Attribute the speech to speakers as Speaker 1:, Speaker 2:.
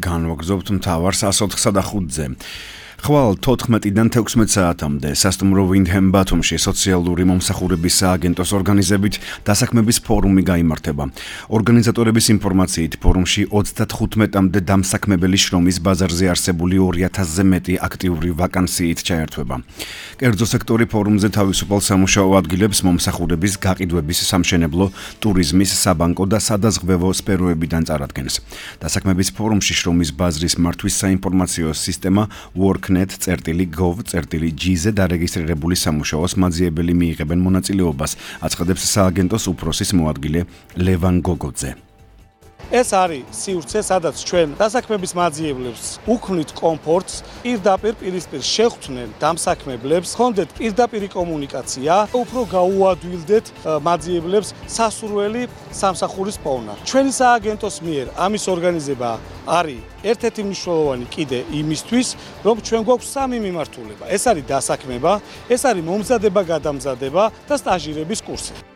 Speaker 1: განვაგრძობთ მთავარ 104-ზე. ხვალ 14-დან 16 საათამდე სასტუმრო Windham ბათუმში სოციალური მომსახურების სააგენტოს ორგანიზებით დასაქმების ფორუმი გაიმართება. ორგანიზატორების ინფორმაციით ფორუმში 35-მდე დამსაქმებელი შრომის ბაზარზე არსებული 2000-ზე მეტი აქტიური ვაკანსიით ჩაერთვება. კერძო სექტორი ფორუმზე თავისუფალ სამუშაო ადგილებს მომსახურების გაყიდვების სამშენებლო, ტურიზმის, საბანკო და სადაზღვევო სფეროებიდან წარადგენს. დასაქმების ფორუმში შრომის ბაზრის მართვის საინფორმაციო სისტემა worknet.gov.gz-ზე დარეგისტრირებული სამუშაოს მაძიებელი მიიღებენ მონაწილეობას, აცხადებს სააგენტოს უფროსის მოადგილე ლევან გოგოძე.
Speaker 2: ეს არის სივრცე, სადაც ჩვენ დასაქმების მაძიებლებს უქმნით კომფორტს, პირისპირ შეხვდნენ დამსაქმებლებს, ხონდეთ პირდაპირი კომუნიკაცია, უფრო გაუადვილდეთ მაძიებლებს სასურველი სამსახურის პოვნა. ჩვენი სააგენტოს მიერ ამის ორგანიზება არის ერთ-ერთი მნიშვნელოვანი კიდე იმისთვის, რომ ჩვენ გვაქვს სამი მიმართულება. ეს არის დასაქმება, ეს არის მომზადება-გადამზადება და სტაჟირების კურსი.